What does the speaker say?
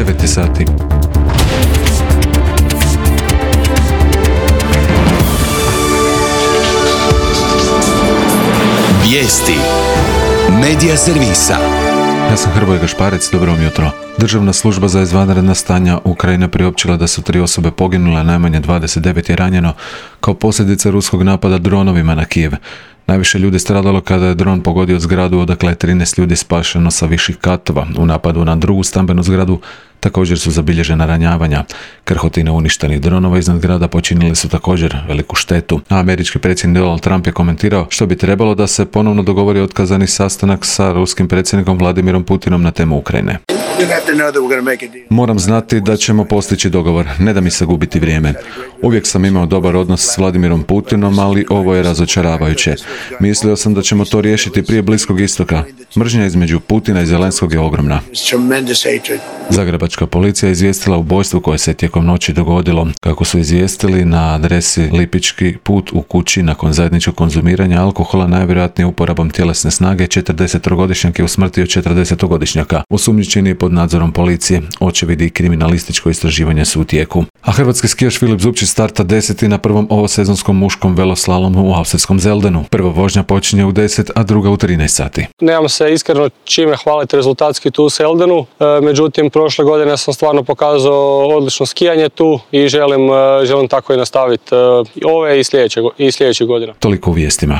9 sati. Vijesti Medija servisa. Ja sam Hrvoje Gašparec, dobro vam jutro. Državna služba za izvanredna stanja Ukrajine priopćila da su 3 osobe poginule, najmanje 29 je ranjeno kao posljedica ruskog napada dronovima na Kijev. Najviše ljudi stradalo kada je dron pogodio zgradu odakle je 13 ljudi spašeno sa viših katova. U napadu na drugu stambenu zgradu također su zabilježena ranjavanja. Krhotine uništenih dronova iznad grada počinili su također veliku štetu. A američki predsjednik Donald Trump je komentirao što bi trebalo da se ponovno dogovori otkazani sastanak sa ruskim predsjednikom Vladimirom Putinom na temu Ukrajine. Moram znati da ćemo postići dogovor, ne da mi se gubiti vrijeme. Uvijek sam imao dobar odnos s Vladimirom Putinom, ali ovo je razočaravajuće. Mislio sam da ćemo to riješiti prije Bliskog istoka. Mržnja između Putina i Zelenskog je ogromna. Zagrebačka policija je izvijestila o ubojstvu koje se tijekom noći dogodilo. Kako su izvijestili, na adresi Lipički put u kući nakon zajedničkog konzumiranja alkohola, najvjerojatnije uporabom tjelesne snage, 40-godišnjak je usmrtio 40-godišnjaka. Osumnjičeni je pod nadzorom policije. Očevidi i kriminalističko istraživanje su u tijeku. A hrvatski skijaš Filip Zubčić starta 10. na prvom ovosezonskom muškom veloslalomu u austrijskom Zeldenu. Prva vožnja počinje u 10, a druga u 13 sati. Nemam se iskreno čime hvaliti rezultatski tu u Seldenu, međutim prošle godine sam stvarno pokazao odlično skijanje tu i želim tako i nastaviti ove i sljedećih godina. Toliko u vijestima.